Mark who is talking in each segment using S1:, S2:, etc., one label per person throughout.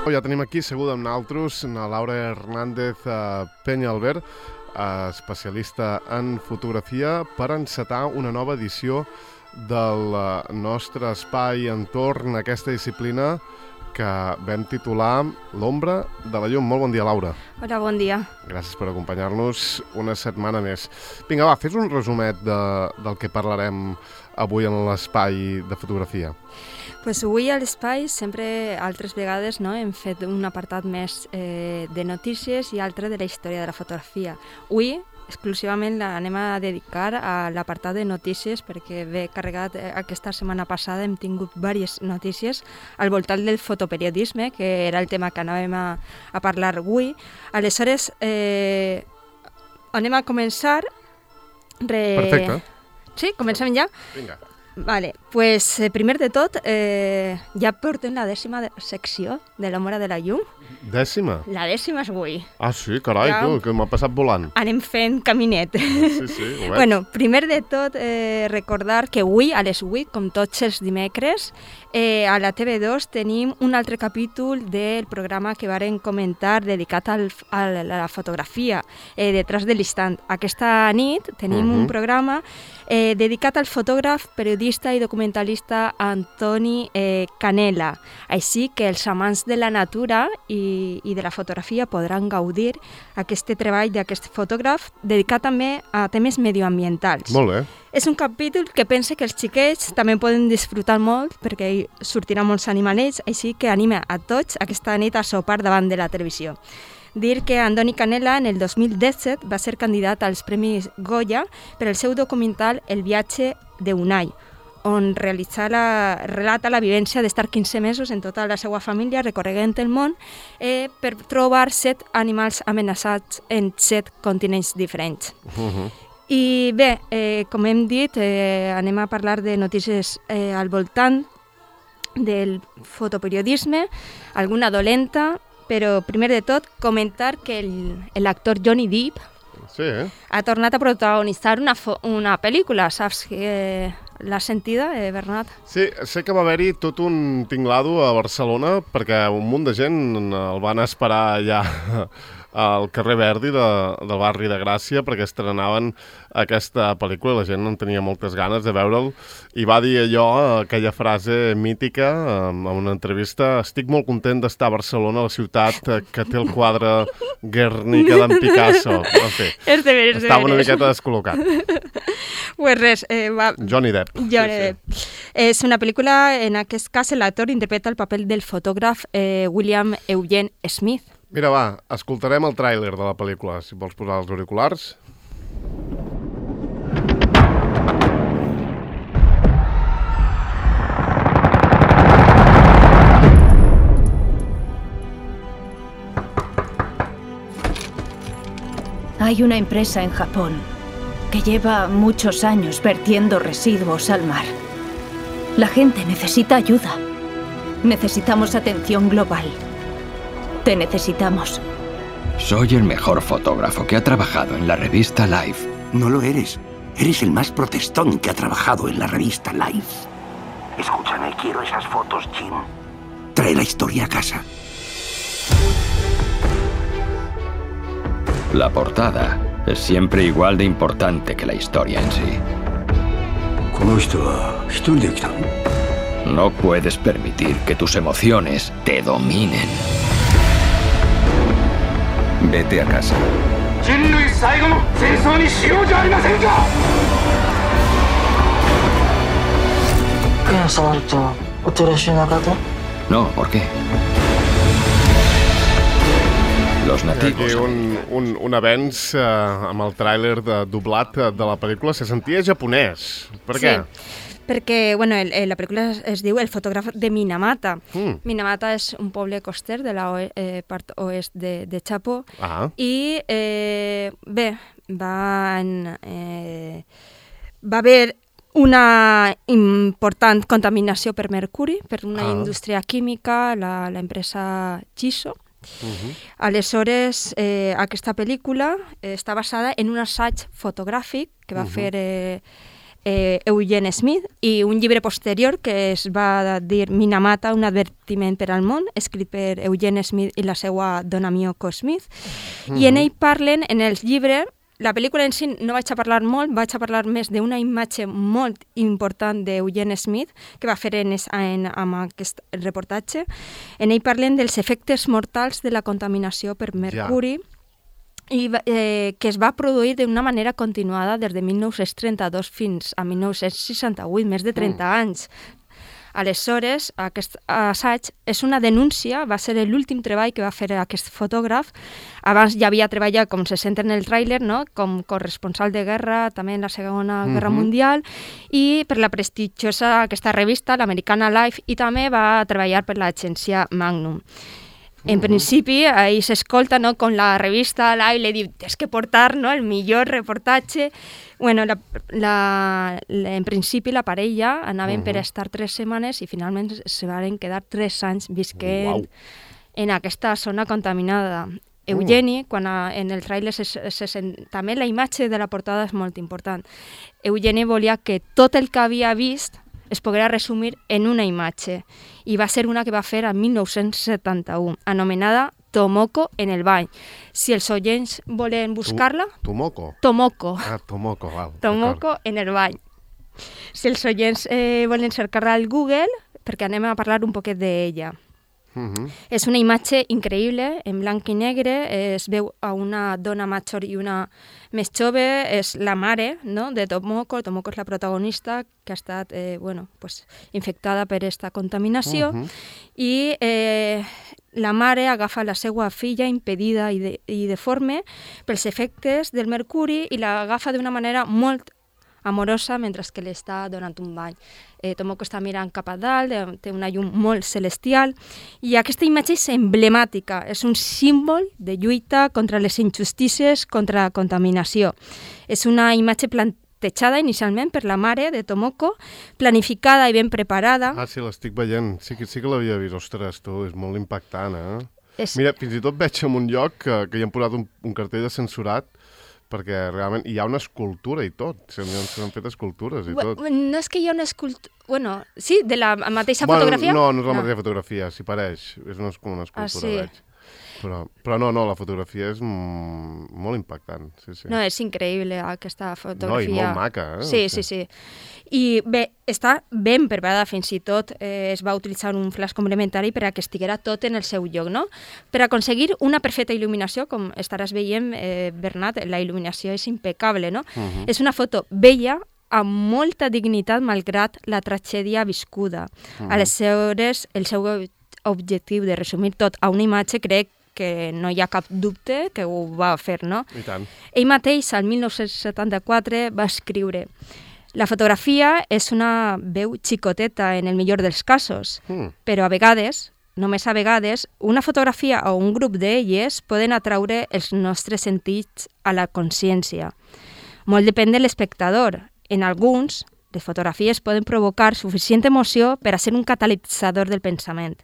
S1: Ja tenim aquí seguda amb nosaltres la Laura Hernández Peñalver, especialista en fotografia, per encetar una nova edició del nostre espai entorn a aquesta disciplina que vam titular L'ombra de la llum. Molt bon dia, Laura.
S2: Hola, bon dia.
S1: Gràcies per acompanyar-nos una setmana més. Vinga, va, fes un resumet del que parlarem avui en l'espai de fotografia.
S2: Pues avui a l'espai sempre altres vegades hem fet un apartat més de notícies i altre de la història de la fotografia. Avui exclusivament l'anem a dedicar a l'apartat de notícies perquè ve carregat aquesta setmana passada, hem tingut diverses notícies al voltant del fotoperiodisme, que era el tema que anàvem a parlar avui. Aleshores, anem a començar.
S1: Perfecte.
S2: Sí, comencem ja?
S1: Vinga.
S2: Vale, pues primer de tot, ja portem la 10ª secció de l'ombra de la llum.
S1: 10ª?
S2: La 10ª és avui.
S1: Ah, sí? Carai, ja, tu, que m'ha passat volant.
S2: Anem fent caminet.
S1: Sí, ho veig.
S2: Bueno, primer de tot, recordar que avui, a les 8, com tots els dimecres, a la TV2 tenim un altre capítol del programa que varen comentar dedicat a la fotografia, Detrás de l'instant. Aquesta nit tenim un programa dedicat al fotògraf, periodista i documentalista Antoni Canela. Així que els amants de la natura i de la fotografia podran gaudir aquest treball d'aquest fotògraf dedicat també a temes medioambientals.
S1: Molt bé.
S2: És un capítol que pense que els xiquets també poden disfrutar molt perquè hi sortiran molts animalets, així que anima a tots aquesta nit a sopar davant de la televisió. Dir que Antoni Canela en el 2017 va ser candidat als Premis Goya per el seu documental El viatge d'Unai, on relata la vivència d'estar 15 mesos en tota la seva família recorregant el món per trobar 7 animals amenaçats en 7 continents diferents. I bé, com hem dit, anem a parlar de notícies al voltant del fotoperiodisme, alguna dolenta, però primer de tot comentar que l'actor Johnny Depp ha tornat a protagonitzar una pel·lícula, saps que l'has sentida, Bernat?
S1: Sí, sé que va haver-hi tot un tinglado a Barcelona perquè un munt de gent el van esperar allà al carrer Verdi del barri de Gràcia perquè estrenaven aquesta pel·lícula i la gent en tenia moltes ganes de veure'l i va dir aquella frase mítica en una entrevista: estic molt content d'estar a Barcelona, la ciutat que té el quadre Guernica d'en Picasso. En fi, estava una miqueta descol·locat.
S2: Pues res,
S1: Johnny Depp.
S2: Depp. És una pel·lícula, en aquest cas l'actor interpreta el paper del fotògraf William Eugene Smith.
S1: Mira, va, escoltarem el tràiler de la pel·lícula, si vols posar els auriculars.
S3: Hay una empresa en Japón que lleva muchos años vertiendo residuos al mar. La gente necesita ayuda. Necesitamos atención global. Te necesitamos.
S4: Soy el mejor fotógrafo que ha trabajado en la revista Life.
S5: No lo eres. Eres el más protestón que ha trabajado en la revista Life. Escúchame, quiero esas fotos, Jim. Trae la historia a casa.
S4: La portada es siempre igual de importante que la historia en sí. No puedes permitir que tus emociones te dominen. Vete a casa. No, ¿por qué? Los nativos...
S1: Aquí un avenç amb el tràiler doblat de la pel·lícula. Se sentia japonès. Per què?
S2: Perquè la pel·lícula es diu El fotògraf de Minamata. Minamata és un poble coster de la part oest de Japó. I bé, va haver una important contaminació per mercuri per una indústria química, l'empresa Chiso. Aleshores, aquesta pel·lícula està basada en un assaig fotogràfic que va fer Eugene Smith, i un llibre posterior que es va dir Minamata, un advertiment per al món, escrit per Eugene Smith i la seva dona Miyoko Smith. I en ell parlen, en el llibre, la pel·lícula en si no vaig a parlar molt, vaig a parlar més d'una imatge molt important d'Eugene Smith que va fer amb aquest reportatge. En ell parlen dels efectes mortals de la contaminació per mercuri i que es va produir d'una manera continuada des de 1932 fins a 1968, més de 30 anys. Aleshores, aquest assaig és una denúncia, va ser l'últim treball que va fer aquest fotògraf. Abans ja havia treballat, com se sent en el tràiler, no? Com corresponsal de guerra, també en la Segona Guerra Mundial, i per la prestigiosa aquesta revista, l'Americana Life, i també va treballar per l'agència Magnum. En principi, ahí s'escolta, no?, com la revista Life li diu tens que portar, no?, el millor reportatge. Bueno, en principi la parella anaven per estar 3 setmanes i finalment se van quedar 3 anys visquent en aquesta zona contaminada. Eugeni, quan en el tràiler també la imatge de la portada és molt important. Eugeni volia que tot el que havia vist es poguera resumir en una imatge, i va ser una que va fer en 1971, anomenada Tomoko en el bany. Si els oients volen buscar-la...
S1: Tomoko?
S2: Tomoko.
S1: Ah, Tomoko, val.
S2: Tomoko en el bany. Si els oients volen cercar-la al Google, perquè anem a parlar un poquet d'ella. És una imatge increïble, en blanc i negre, es veu a una dona major i una més jove, és la mare, no?, de Tomoko. Tomoko és la protagonista que ha estat infectada per aquesta contaminació, i la mare agafa la seva filla impedida i deforme pels efectes del mercuri i l'agafa d'una manera molt amorosa mentre que li està donant un bany. Tomoko està mirant cap a dalt, té una llum molt celestial, i aquesta imatge és emblemàtica, és un símbol de lluita contra les injustícies, contra la contaminació. És una imatge plantejada inicialment per la mare de Tomoko, planificada i ben preparada.
S1: Ah, sí, l'estic veient. Sí que l'havia vist. Ostres, tu, és molt impactant, Mira, fins i tot veig en un lloc que hi han posat un cartell de censurat, perquè realment hi ha una escultura i tot. S'han fet escultures i tot.
S2: No és que hi ha una escultura... Bueno, sí, de la mateixa fotografia?
S1: No, no és la mateixa fotografia, s'hi pareix. És com una escultura, veig. Però no, la fotografia és molt impactant.
S2: No, és increïble aquesta fotografia.
S1: No, i molt maca,
S2: Sí. I bé, està ben preparada, fins i tot es va utilitzar un flash complementari per a que estiguera tot en el seu lloc, no? Per aconseguir una perfecta il·luminació, com estaràs veient, Bernat, la il·luminació és impecable, no? És una foto bella, amb molta dignitat, malgrat la tragèdia viscuda. Aleshores, el seu objectiu de resumir tot a una imatge, crec que no hi ha cap dubte que ho va fer, no?
S1: I tant.
S2: Ell mateix, al 1974, va escriure: la fotografia és una veu xicoteta en el millor dels casos, però a vegades, només a vegades, una fotografia o un grup d'elles poden atraure els nostres sentits a la consciència. Molt depèn de l'espectador. En alguns, les fotografies poden provocar suficient emoció per a ser un catalitzador del pensament.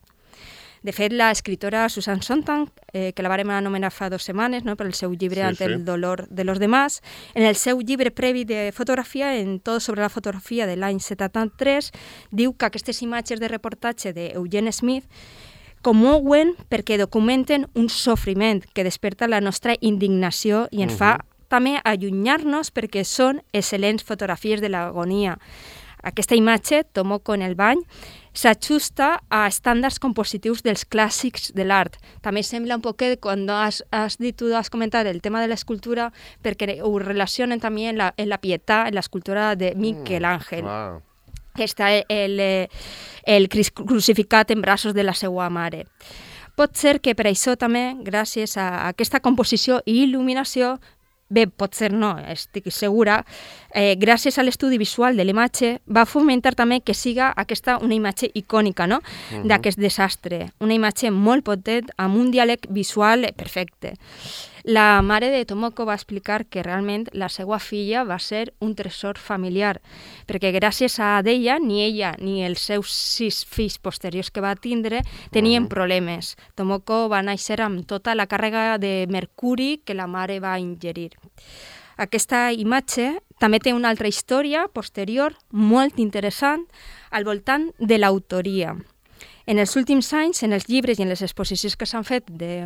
S2: De fet, l'escriptora Susan Sontag, que la vàrem anomenar fa 2 setmanes, no?, per el seu llibre Ante el dolor de los demás, en el seu llibre previ de fotografia, en Tot sobre la fotografia de l'any 73, diu que aquestes imatges de reportatge d'Eugene Smith commouen perquè documenten un sofriment que desperta la nostra indignació i ens fa també allunyar-nos perquè són excel·lents fotografies de l'agonia. Aquesta imatge, Tomoko en el bany, s'ajusta a estàndards compositius dels clàssics de l'art. També sembla un poquet, quan tu has comentat el tema de l'escultura, perquè ho relacionen també en la Pietà, en l'escultura de Miquel Àngel. Que està el crucificat en braços de la seva mare. Pot ser que per això també, gràcies a aquesta composició i il·luminació, bé, pot ser no, estic segura, gràcies a l'estudi visual de l'imatge, va fomentar també que siga aquesta una imatge icònica, no?, d'aquest desastre. Una imatge molt potent, amb un diàleg visual perfecte. La mare de Tomoko va explicar que realment la seva filla va ser un tresor familiar, perquè gràcies a ella, ni ella ni els seus 6 fills posteriors que va tindre tenien problemes. Tomoko va néixer amb tota la càrrega de mercuri que la mare va ingerir. Aquesta imatge també té una altra història posterior molt interessant al voltant de l'autoria. En els últims anys, en els llibres i en les exposicions que s'han fet, de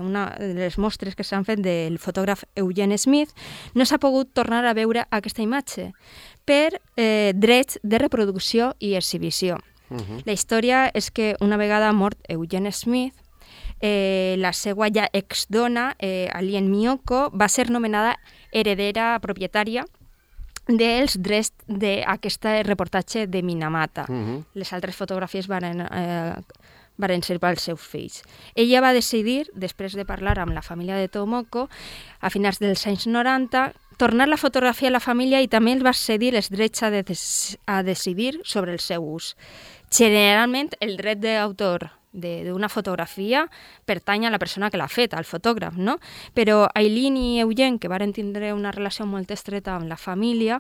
S2: les mostres que s'han fet del fotògraf Eugene Smith, no s'ha pogut tornar a veure aquesta imatge per drets de reproducció i exhibició. La història és que una vegada mort Eugene Smith, la seva ja exdona, Alien Miyoko, va ser nomenada heredera propietària dels drets d'aquest reportatge de Minamata. Les altres fotografies varen ser pels seus fills. Ella va decidir, després de parlar amb la família de Tomoko, a finals dels anys 90, tornar la fotografia a la família i també els va cedir els drets a decidir sobre el seu ús. Generalment, el dret d'autor d'una fotografia pertany a la persona que l'ha fet, al fotògraf, no? Però Aileen i Eugene, que varen tindre una relació molt estreta amb la família,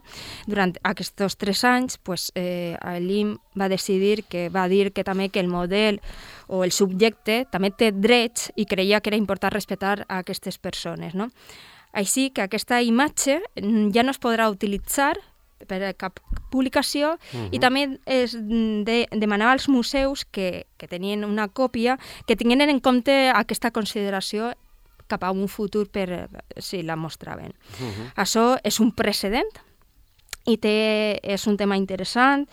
S2: durant aquests 3 anys, Aileen va dir que també que el model o el subjecte també té drets i creia que era important respectar a aquestes persones, no? Així que aquesta imatge ja no es podrà utilitzar per a cap publicació i també es demanava als museus que tenien una còpia que tinguin en compte aquesta consideració cap a un futur per si la mostraven. Això és un precedent i és un tema interessant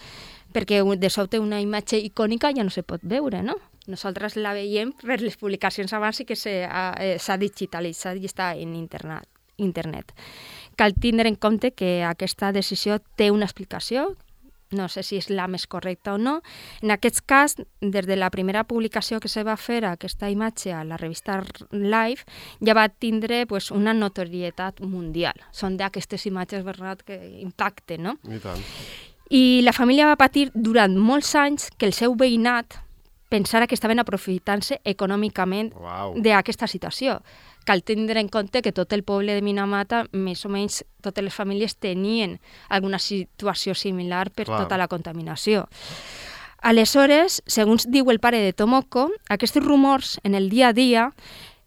S2: perquè de sobte una imatge icònica ja no se pot veure, no? Nosaltres la veiem per les publicacions abans i que s'ha digitalitzat i està en internet. Cal tindre en compte que aquesta decisió té una explicació, no sé si és la més correcta o no. En aquest cas, des de la primera publicació que se va fer aquesta imatge a la revista Life, ja va tindre una notorietat mundial. Són d'aquestes imatges que impacten, no?
S1: I tant.
S2: I la família va patir durant molts anys que el seu veïnat pensara que estaven aprofitant-se econòmicament d'aquesta situació. Cal tindre en compte que tot el poble de Minamata, més o menys totes les famílies tenien alguna situació similar per tota la contaminació. Aleshores, segons diu el pare de Tomoko, aquests rumors en el dia a dia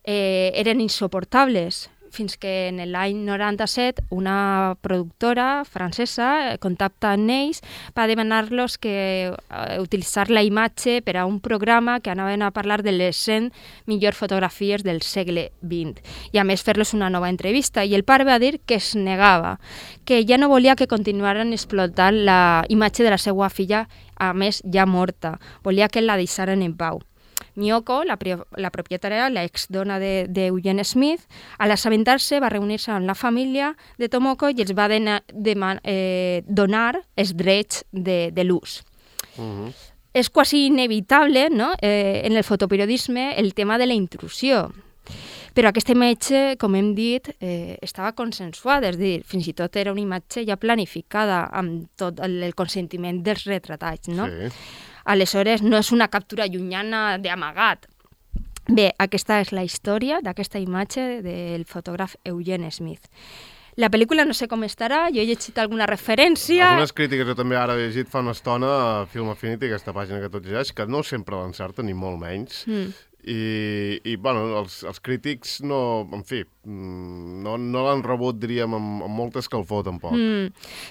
S2: eren insuportables, fins que en l'any 97 una productora francesa contacta amb ells per demanar-los que utilitzar la imatge per a un programa que anaven a parlar de les 100 millors fotografies del segle XX i a més fer-los una nova entrevista. I el pare va dir que es negava, que ja no volia que continuaren explotant la imatge de la seva filla, a més ja morta. Volia que la deixaren en pau. Miyoko, la propietària, la exdona d'Eugene Smith, a l'assabentar-se va reunir-se amb la família de Tomoko i els va donar els drets de l'ús. És quasi inevitable, no?, en el fotoperiodisme el tema de la intrusió. Però aquesta imatge, com hem dit, estava consensuada, és a dir, fins i tot era una imatge ja planificada amb tot el consentiment dels retratats, no? Sí. Aleshores, no és una captura llunyana d'amagat. Bé, aquesta és la història d'aquesta imatge del fotògraf Eugene Smith. La pel·lícula no sé com estarà, jo he llegit alguna referència...
S1: Algunes crítiques jo també ara he llegit fa una estona a Film Affinity, aquesta pàgina que tot llegeix, que no sempre l'encerta, ni molt menys. I bueno, els crítics no, en fi, no l'han rebut, diríem, amb molta escalfor, tampoc.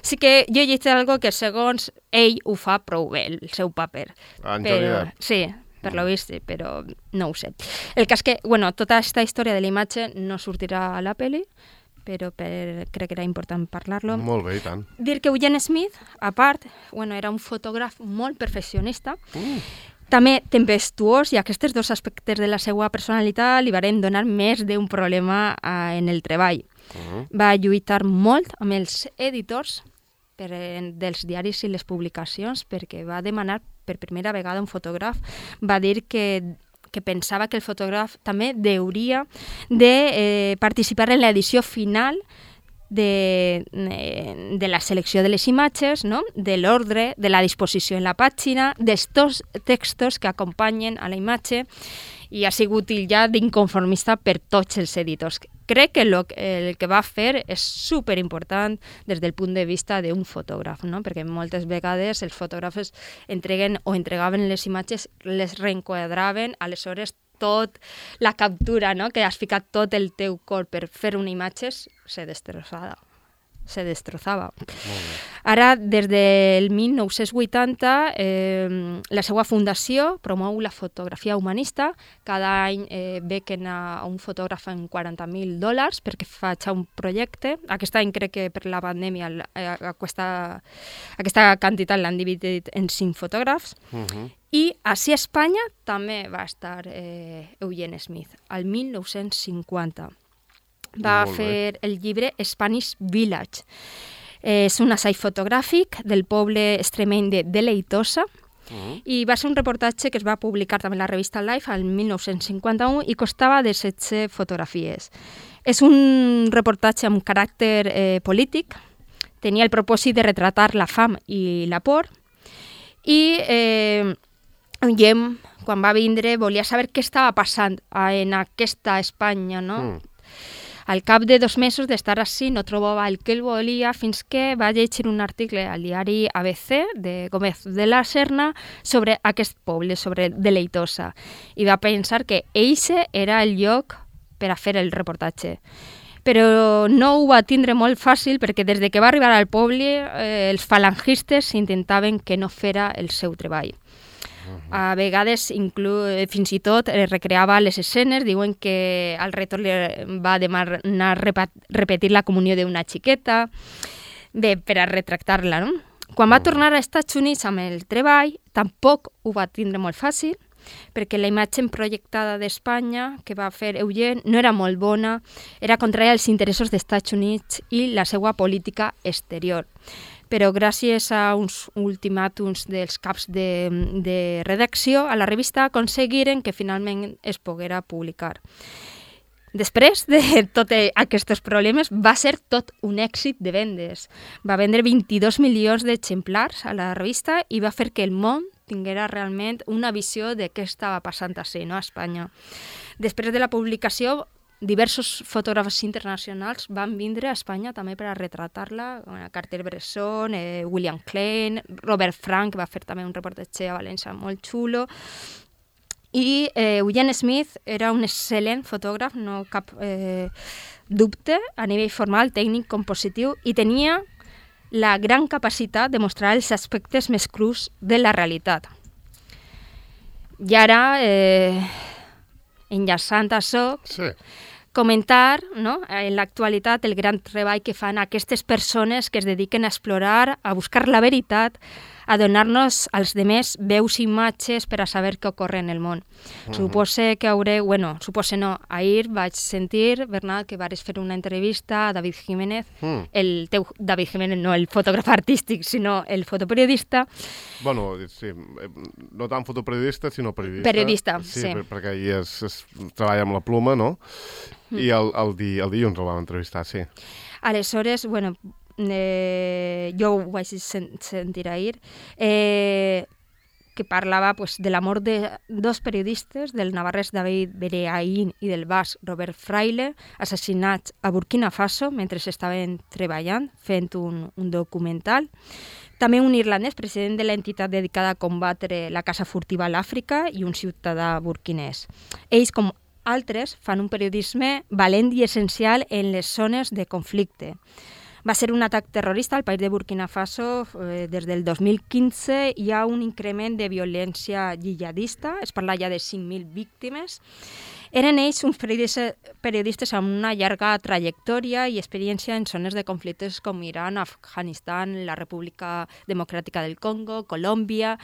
S2: Sí que jo he llegit algo que segons ell ho fa prou bé, el seu paper.
S1: En Johnny Depp.
S2: Sí, per lo vist, però no ho sé. El cas que, bueno, tota aquesta història de la imatge no sortirà a la pel·li, però crec que era important parlar-lo.
S1: Molt bé, i tant.
S2: Dir que Eugene Smith, a part, era un fotògraf molt perfeccionista, també tempestuós, i aquests 2 aspectes de la seva personalitat li varen donar més d'un problema en el treball. Va lluitar molt amb els editors dels diaris i les publicacions perquè va demanar per primera vegada un fotògraf, va dir que pensava que el fotògraf també hauria de participar en l'edició final de la selecció de les imatges, no?, de l'ordre, de la disposició en la pàgina, dels textos que acompanyen a la imatge, i ha sigut ja d'inconformista per tots els editors. Crec que el que va fer és superimportant des del punt de vista d'un fotògraf, no?, perquè moltes vegades els fotògrafs entregaven les imatges, les reenquadraven, aleshores tot la captura, no?, que has ficat tot el teu cor per fer una imatge, se destrossada. se destrozava. Ara, des del 1980, la seva fundació promou la fotografia humanista. Cada any bequen a un fotògraf en $40.000 perquè faci un projecte. Aquest any crec que per la pandèmia aquesta quantitat l'han dividit en 5 fotògrafs. I així a Espanya també va estar Eugene Smith, al 1950. Va fer el llibre Spanish Village. És un assaig fotogràfic del poble extremeny de Deleitosa i va ser un reportatge que es va publicar també a la revista Life el 1951 i costava de 16 fotografies. És un reportatge amb caràcter polític, tenia el propòsit de retratar la fam i la por i Guillem, quan va vindre, volia saber què estava passant en aquesta Espanya, no? Al cap de 2 mesos d'estar així no trobava el que ell volia fins que va llegir un article al diari ABC de Gómez de la Serna sobre aquest poble, sobre Deleitosa, i va pensar que eixe era el lloc per a fer el reportatge. Però no ho va tindre molt fàcil perquè des que va arribar al poble els falangistes intentaven que no fera el seu treball. A vegades fins i tot recreava les escenes, diuen que al retorn li va demanar repetir la comunió d'una xiqueta, bé, per a retractar-la, no? Quan va tornar als Estats Units amb el treball, tampoc ho va tindre molt fàcil, perquè la imatge projectada d'Espanya que va fer Eugene no era molt bona, era contrària als interessos dels Estats Units i la seva política exterior. Però gràcies a uns ultimàtums dels caps de redacció, a la revista aconseguiren que finalment es poguera publicar. Després de tots aquests problemes, va ser tot un èxit de vendes. Va vendre 22 milions d'exemplars a la revista i va fer que el món tinguera realment una visió de què estava passant a Espanya. Després de la publicació, diversos fotògrafs internacionals van vindre a Espanya també per a retratar-la. Cartier-Bresson, William Klein, Robert Frank va fer també un reportatge a València molt xulo. I Eugene Smith era un excel·lent fotògraf, no cap dubte, a nivell formal, tècnic, compositiu, i tenia la gran capacitat de mostrar els aspectes més crus de la realitat. I ara, enllaçant això, comentar, no, en l'actualitat el gran treball que fan aquestes persones que es dediquen a explorar, a buscar la veritat, a donar-nos als demés veus i imatges per a saber què ocorre en el món. Supose que supose no, ahir vaig sentir, Bernat, que vares fer una entrevista a David Jiménez, el teu David Jiménez, no el fotògraf artístic, sinó el fotoperiodista.
S1: Bueno, sí, no tant fotoperiodista, sinó periodista.
S2: Periodista, sí.
S1: Perquè ahir es treballa amb la pluma, no? I el dilluns el vam entrevistar, sí.
S2: Aleshores, jo ho vaig sentir ahir, que parlava de l'amor de 2 periodistes, del navarrès David Bereaín i del basc Robert Fraile, assassinats a Burkina Faso mentre estaven treballant, fent un documental. També un irlandès, president de l'entitat dedicada a combatre la caça furtiva a l'Àfrica, i un ciutadà burkinès. Ells, com altres, fan un periodisme valent i essencial en les zones de conflicte. Va ser un atac terrorista al país de Burkina Faso. Des del 2015 hi ha un increment de violència jihadista, es parla ja de 5.000 víctimes. Eren ells uns periodistes amb una llarga trajectòria i experiència en zones de conflictes com Iran, Afganistan, la República Democràtica del Congo, Colòmbia.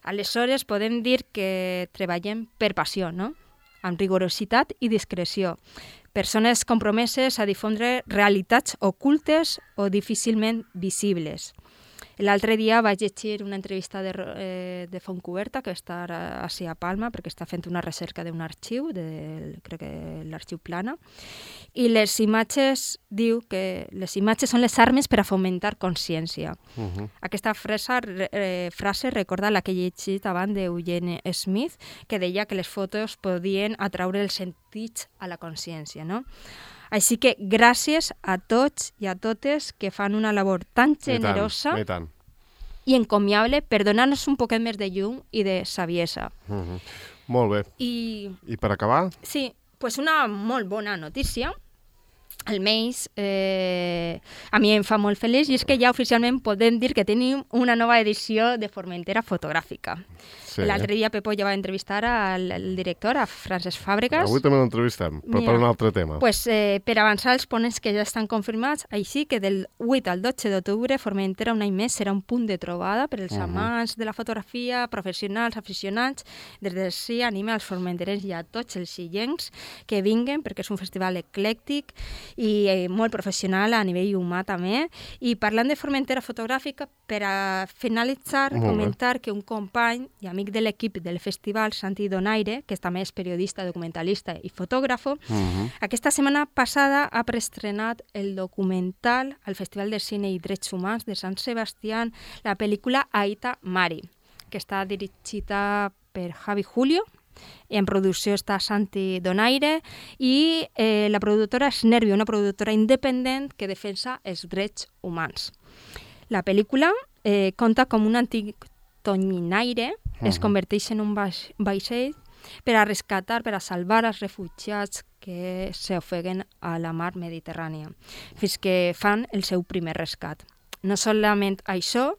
S2: Aleshores, podem dir que treballem per passió, no? Amb rigorositat i discreció. Persones compromeses a difondre realitats ocultes o difícilment visibles. L'altre dia vaig llegir una entrevista de Fontcoberta, que està així a Palma, perquè està fent una recerca d'un arxiu, crec que l'arxiu Plana, i les imatges, diu que les imatges són les armes per a fomentar consciència. Aquesta frase recorda la que he llegit abans d'Eugene Smith, que deia que les fotos podien atraure els sentits a la consciència, no? Així que gràcies a tots i a totes que fan una labor tan generosa i encomiable per donar-nos un poquet més de llum i de saviesa.
S1: Molt bé. I per acabar?
S2: Sí, una molt bona notícia almenys a mi em fa molt feliç, i és que ja oficialment podem dir que tenim una nova edició de Formentera fotogràfica.
S1: Sí.
S2: L'altre dia Pepo ja va entrevistar al director, a Francesc Fàbregas.
S1: Avui també l'entrevistem, però per un altre tema.
S2: Pues, per avançar els ponents que ja estan confirmats, així que del 8 al 12 d'octubre Formentera un any més serà un punt de trobada per als amants de la fotografia, professionals, aficionats. Des de sí anima als formenterens i a tots els illencs que vinguen, perquè és un festival eclèctic i molt professional a nivell humà també. I parlant de Formentera fotogràfica, per a finalitzar, comentar que un company i amic de l'equip del festival, Santi Donaire, que també és periodista, documentalista i fotògrafo, aquesta setmana passada ha preestrenat el documental al Festival de Cine i Drets Humans de Sant Sebastià, la pel·lícula Aita Mari, que està dirigida per Javi Julio, i en producció està Santi Donaire, i la productora és Nervio, una productora independent que defensa els drets humans. La pel·lícula conta com un antic tonyinaire es converteix en un vaixell per a rescatar, per a salvar els refugiats que s'ofeguen a la mar Mediterrània, fins que fan el seu primer rescat. No solament això,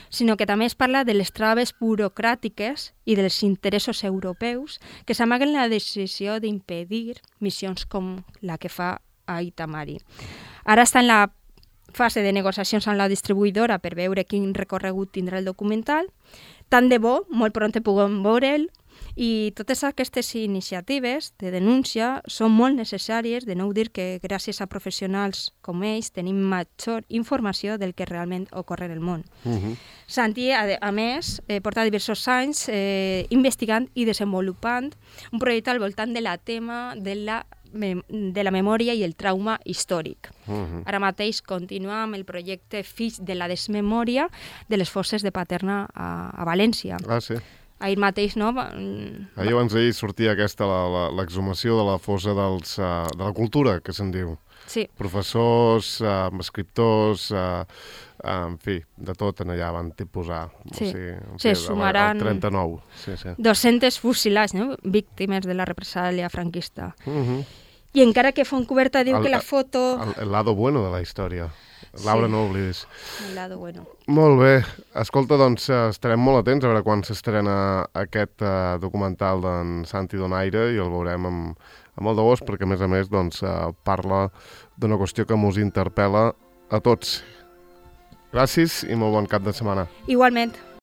S2: sinó que també es parla de les traves burocràtiques i dels interessos europeus que s'amaguen la decisió d'impedir missions com la que fa Aita Mari. Ara està en la fase de negociacions amb la distribuïdora per veure quin recorregut tindrà el documental. Tant de bo, molt pront puguem veure'l, i totes aquestes iniciatives de denúncia són molt necessàries, de no dir que gràcies a professionals com ells tenim major informació del que realment ocorre en el món. Santi, a més, porta diversos anys investigant i desenvolupant un projecte al voltant de la tema de la memòria i el trauma històric. Ara mateix continua amb el projecte Fills de la desmemòria de les fosses de Paterna a València.
S1: Ah, sí.
S2: Ahir mateix, no?
S1: Ahir abans d'ahir sortia aquesta, l'exhumació de la fossa de la cultura, que se'n diu.
S2: Sí.
S1: Professors, escriptors, en fi, de tot en allà van posar.
S2: Sí,
S1: o sigui,
S2: se sumaran
S1: 39. Sí.
S2: 200 fusilats, no? Víctimes de la represàlia franquista. I encara que Fontcoberta diu que la foto...
S1: El lado bueno de la història. Laura, no oblidis.
S2: El lado bueno.
S1: Molt bé. Escolta, doncs estarem molt atents a veure quan s'estrena aquest documental d'en Santi Donaire i el veurem amb molt de gust, perquè a més doncs, parla d'una qüestió que mos interpel·la a tots. Gràcies i molt bon cap de setmana.
S2: Igualment.